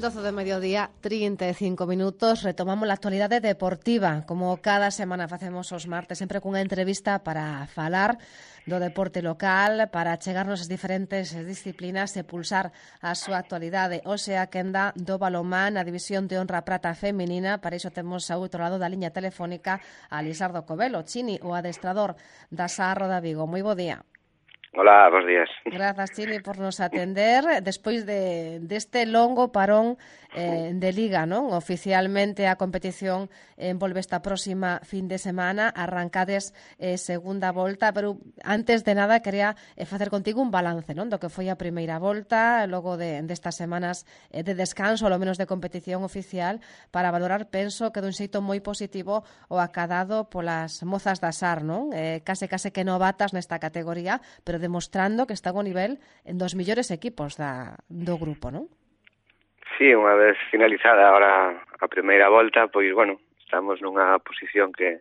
12 de mediodía, 35 minutos. Retomamos la actualidade deportiva, como cada semana facemos os martes, sempre cunha entrevista para falar do deporte local, para chegarnos as diferentes disciplinas e pulsar a súa actualidade. Hoxe a quenda do balonmán, a división de honra prata feminina. Para iso temos ao outro lado da liña telefónica a Lisardo Covelo, Chini, o adestrador da Sarro da Vigo. Moi bo día. Hola, bons días. Grazas, Chini, por nos atender. Despois deste longo parón de Liga, non? Oficialmente a competición envolve esta próxima fin de semana. Arrancades segunda volta, pero antes de nada quería facer contigo un balance, non? Do que foi a primeira volta, logo destas semanas de descanso, ao menos de competición oficial, para valorar, penso, que dun xeito moi positivo o acadado polas mozas da SAR, non? Case que novatas nesta categoría, pero demostrando que están ao nivel dos mellores equipos do grupo, non? Sí, unha vez finalizada agora a primeira volta, pois, bueno, estamos nunha posición que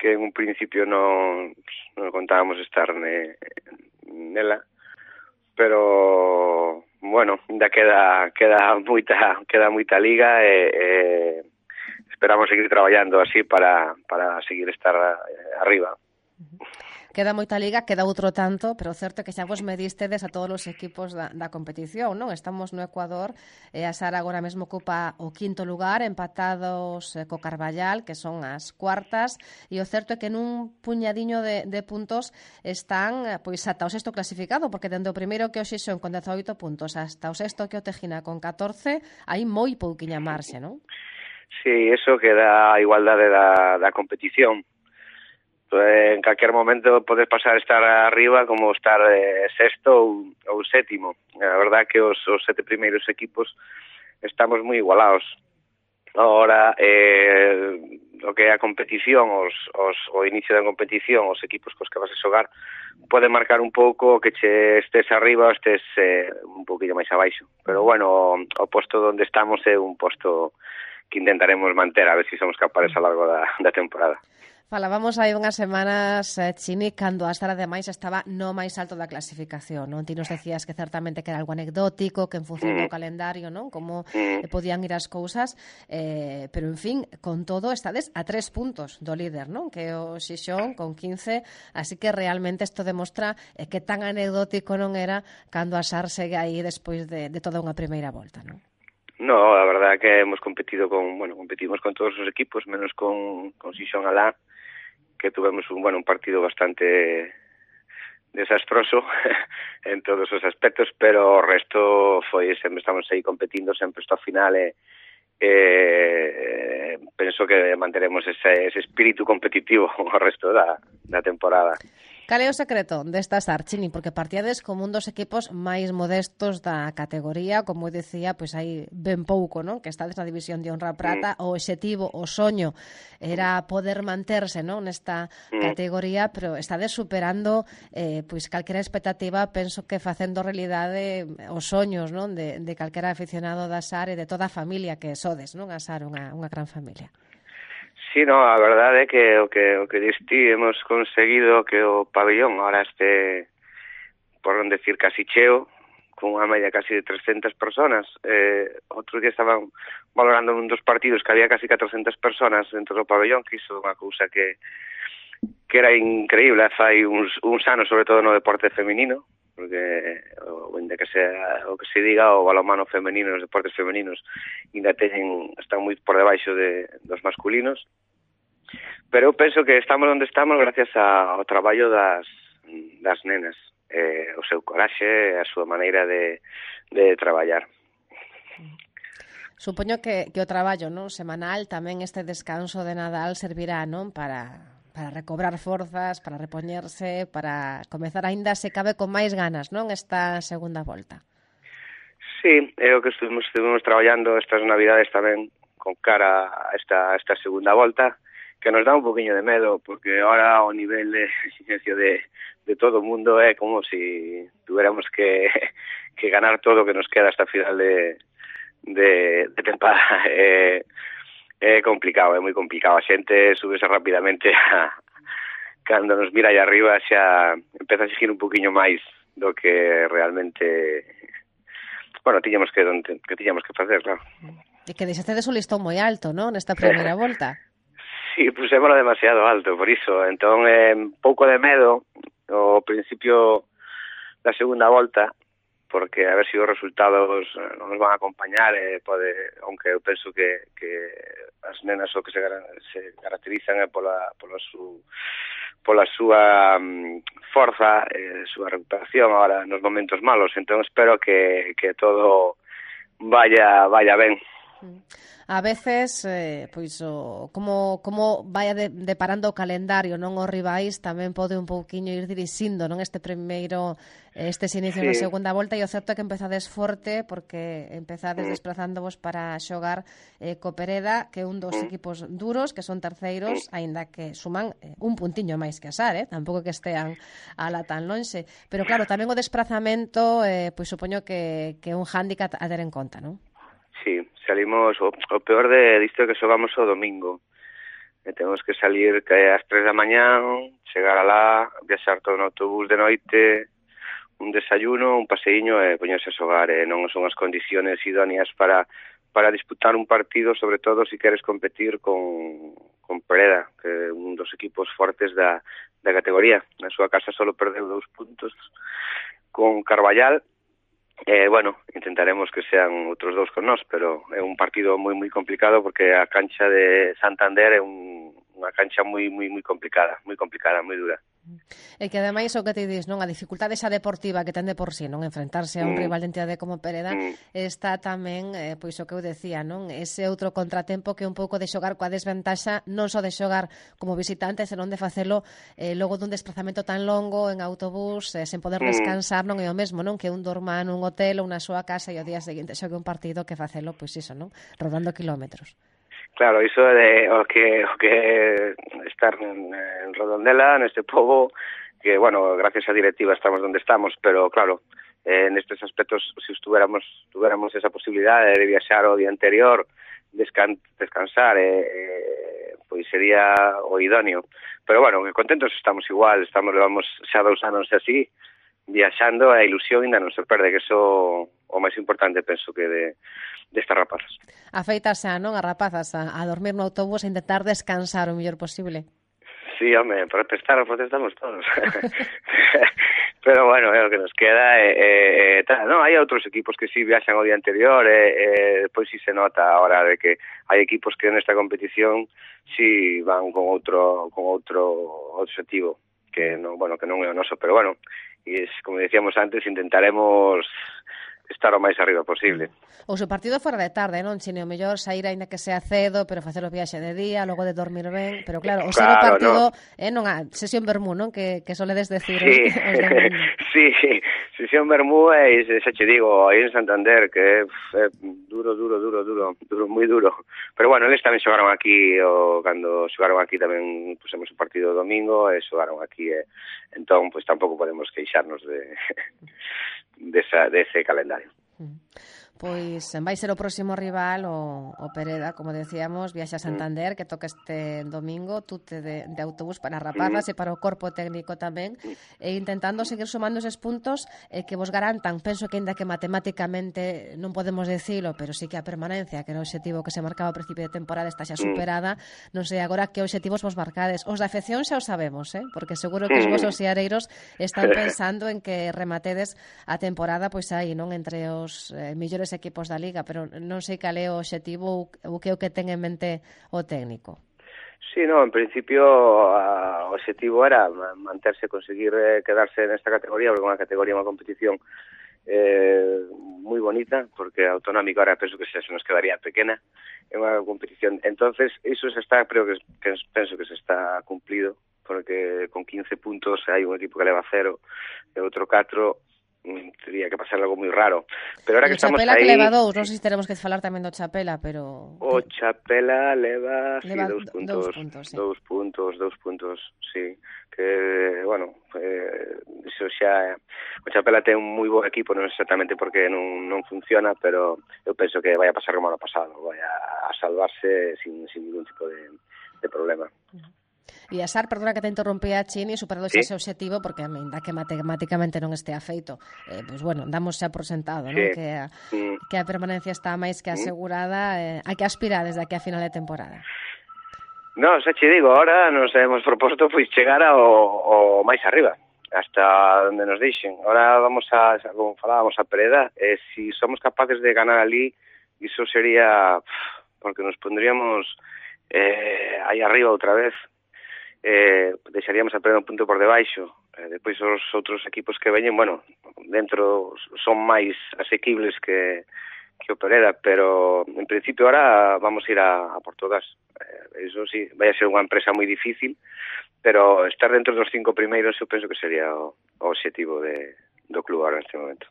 en un principio non contábamos estar nela, pero, bueno, ainda queda moita liga e esperamos seguir traballando así para seguir estar arriba. Queda moita liga, queda outro tanto, pero o certo é que xa vos medistedes a todos os equipos da competición, non? Estamos no Ecuador, e a Sara agora mesmo ocupa o quinto lugar, empatados co Carballal, que son as cuartas, e o certo é que nun puñadiño de puntos están pois ata o sexto clasificado, porque dende o primeiro que o Xixón con 18 puntos hasta o sexto que o Tejina con 14, hai moi pouquiña marxe, non? Sí, eso que dá a igualdade da competición. En calquer momento podes pasar a estar arriba como estar sexto ou sétimo. A verdad que os sete primeiros equipos estamos moi igualados. Ahora, o que é a competición, o inicio da competición, os equipos cos que vas a xogar, pode marcar un pouco que che estés arriba ou estés un poquinho máis abaixo. Pero, bueno, o posto onde estamos é un posto que intentaremos manter, a ver se somos capaces a largo da temporada. Falábamos hai unhas semanas, Chini, cando a Sara ademais estaba no máis alto da clasificación, non? Ti nos decías que certamente que era algo anecdótico, que en función do calendario, non? Como podían ir as cousas, pero en fin, con todo estades a 3 puntos do líder, non? Que é o Xixón con 15, así que realmente isto demostra que tan anecdótico non era cando a Sar segue aí despois de toda unha primeira volta, non? No, a verdad que hemos competimos con todos os equipos, menos con Xixón alá, que tuvemos un partido bastante desastroso en todos os aspectos, pero o resto foi, sempre estamos aí competindo sempre hasta o final e penso que manteremos ese espírito competitivo o resto da temporada. Cal é o secreto desta SAR, Chini? Porque partíades como un dos equipos máis modestos da categoría, como eu decía, pois hai ben pouco, non? Que estades na división de honra prata, o obxectivo, o soño era poder manterse, non? Nesta categoría, pero estades superando pois calquera expectativa, penso que facendo realidade os soños, non? De calquera aficionado da SAR e de toda a familia que sodes, non? A SAR unha gran familia. Sí, no, a verdade é que o que diste hemos conseguido que o pabellón ahora este, por non decir casi cheo, con unha media casi de 300 personas. Outro día estaban valorando un dos partidos que había casi 400 personas dentro do pabellón, que iso é unha cousa que era increíble fai uns anos, sobre todo no deporte femenino, porque ainda que sea o que se diga, o balonmano femenino, os deportes femeninos ainda están moi por debaixo dos masculinos, pero eu penso que estamos onde estamos gracias ao traballo das nenas, o seu coraxe, a súa maneira de traballar. Supoño que o traballo, non, semanal, tamén este descanso de Nadal servirá, non, para recobrar forzas, para repoñerse, para comezar aínda se cabe con máis ganas, non, esta segunda volta. Sí, é o que estuvimos traballando estas navidades tamén con cara a esta segunda volta, que nos dá un poquinho de medo, porque ahora o nivel de exigencia de todo o mundo é como si tuviéramos que ganar todo o que nos queda hasta final de temporada. É complicado, é moi complicado. A xente súbese rapidamente cando nos mira aí arriba xa empeza a exigir un poquinho máis do que realmente bueno, tiñamos que facer, claro. E que deixastedes un listón moi alto, non? Nesta primeira volta. Sí, pusémolo demasiado alto, por iso. Entón, un pouco de medo ao principio da segunda volta, porque a ver se os resultados non nos van a acompañar, aunque eu penso que as nenas o que se caracterizan é pola súa forza, súa recuperación agora nos momentos malos. Entón espero que todo vaya ben. A veces, pois como vai deparando o calendario, non os rivais tamén pode un pouquiño ir dirixindo, non, estes inicios da segunda volta, e o certo é que empezades forte porque empezades desplazándovos para xogar co Pereda, que é un dos equipos duros, que son terceiros, aínda que suman un puntiño máis que a SAR, tampouco que estean ala tan lonxe, pero claro, tamén o desplazamento, pois supoño que é un hándicap a ter en conta, non? Sí, salimos, o peor disto é que xogamos o domingo. Temos que salir ás 3 da mañán, chegar alá, viaxar todo no autobús de noite, un desayuno, un paseiño e poñerse a xogar. Non son as condiciones idóneas para disputar un partido, sobre todo se queres competir con Pereda, que é un dos equipos fortes da categoría. Na súa casa só perdeu 2 puntos con Carballal. Bueno, intentaremos que sean outros 2 con nós, pero é un partido moi moi complicado porque a cancha de Santander é unha cancha moi complicada, moi dura. E que ademais o que te dis, non, a dificultade esa deportiva que ten de por sí, non, enfrentarse a un rival de entidade como Pereda, está tamén, pois o que eu decía, non, ese outro contratempo que é un pouco de xogar coa desventaxa, non só de xogar como visitante, senón de facelo logo dun desplazamento tan longo en autobús, sen poder descansar, non é o mesmo, non, que un dorma nun hotel ou na súa casa e o día seguinte xogue un partido que facelo, pois iso, non, rodando kilómetros. Claro, iso é o que estar en Redondela, neste pobo, que, bueno, gracias á directiva estamos onde estamos, pero, claro, nestes aspectos, se tuviéramos esa posibilidade de viaxar o día anterior, descansar, pois sería o idóneo. Pero, bueno, contentos estamos igual, levamos xa 2 anos así, viaxando, a ilusión ainda non se perde, que iso o máis importante, penso, que destas rapazas. Afeitas non as rapazas a dormir no autobús e intentar descansar o mellor posible. Sí, home, protestamos todos. Pero, bueno, é o que nos queda. Non, hai outros equipos que sí viaxan o día anterior, depois sí se nota a hora de que hai equipos que nesta competición sí van con outro objetivo, que non é o noso, pero, bueno, e como decíamos antes, intentaremos estar o máis arriba posible. O seu partido fora de tarde, non, Chine? O mellor sair aínda que sea cedo, pero facer o viaxe de día, logo de dormir ben, pero claro, o ser o partido non a sesión vermú, non? Que soledes decir Sí, sesión vermú e xa che digo, aí en Santander, que é duro, moi duro. Pero bueno, eles tamén xogaron aquí, cando xogaron aquí tamén pusemos o partido domingo e xogaron aquí, entón, pois tampouco podemos queixarnos dese calendario. Pois vai ser o próximo rival o Pereda, como decíamos, viaxa a Santander, que toca este domingo, tute de autobús para rapazas e para o corpo técnico tamén, e intentando seguir sumando eses puntos que vos garantan, penso que ainda que matemáticamente non podemos decilo, pero sí que a permanencia, que era o obxectivo que se marcaba ao principio de temporada, está xa superada. Non sei agora que obxectivos vos marcades. Os da afección xa o sabemos, porque seguro que os vosos seareiros están pensando en que rematedes a temporada pois aí, non, entre os mellores equipos da Liga, pero non sei cal é o obxectivo ou que é o que ten en mente o técnico. Sí, no, en principio o obxectivo era manterse, conseguir quedarse nesta categoría, porque é unha categoría, unha competición moi bonita, porque a autonómica ahora penso que se nos quedaría pequena, é unha competición. Entonces, iso se está, creo que penso que se está cumplido, porque con 15 puntos hai un equipo que leva 0 e outro 4, teria que pasar algo moi raro. Pero ahora que estamos aí... O Chapela que leva 2, non sei se teremos que falar tamén do Chapela, pero... O Chapela leva 2 puntos, sí. Que, bueno, iso xa... O Chapela ten un moi bo equipo, non exactamente porque non funciona, pero eu penso que vai a pasar como ano pasado, vai a salvarse sin ningún tipo de problema. viaxar, perdona que te interrumpía, Chini, superado Sí. ese obxectivo, porque a min dá que matemáticamente non estea feito. Pois bueno, damos xa por sentado, non? Sí. Que a permanencia está máis que asegurada, a que aspira desde aquí a final de temporada. No, xa che digo, ahora nos hemos proposto pois chegar ao máis arriba, hasta onde nos deixen. Ahora vamos como falábamos, a Pereda, e si somos capaces de ganar ali, iso sería, porque nos pondríamos aí arriba outra vez, deixaríamos a Pereda un punto por debaixo. Depois os outros equipos que veñen, bueno, dentro son máis asequibles que o Pereda, pero en principio ahora vamos a ir a Portugal. Eso sí, vai a ser unha empresa moi difícil, pero estar dentro dos 5 primeiros eu penso que sería o obxectivo do club ahora neste momento.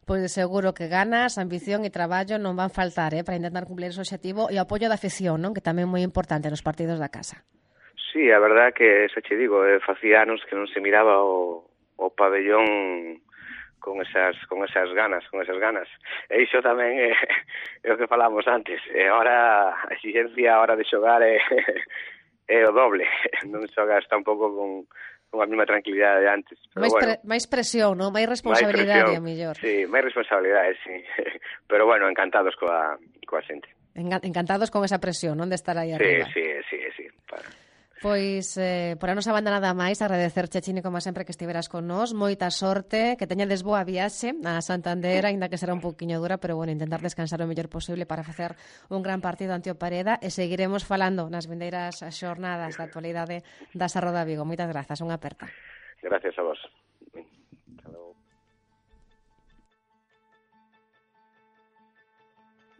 Pois seguro que ganas, ambición e traballo non van faltar para intentar cumplir ese obxectivo e o apoio da afición, non? Que tamén é moi importante nos partidos da casa. Sí, a verdad que, xa che digo, facía anos que non se miraba o pabellón con esas ganas. E iso tamén é o que falamos antes. E ahora a exigencia a hora de xogar é o doble. Non xogas tampouco con a mesma tranquilidade de antes. Pero máis presión, non? Máis responsabilidade, a mellor. Sí, máis responsabilidade, sí. Pero bueno, encantados coa xente. Encantados con esa presión, non? De estar aí arriba. Sí. Pois, por a nosa banda nada máis, agradecerche, Chini, como sempre, que estiveras con nós. Moita sorte, que teñades boa viaxe a Santander, aínda que será un pouquiño dura, pero bueno, intentar descansar o mellor posible para facer un gran partido ante o Pereda, e seguiremos falando nas vindeiras xornadas da actualidade da Sarroda Vigo. Moitas grazas, unha aperta. Gracias a vos.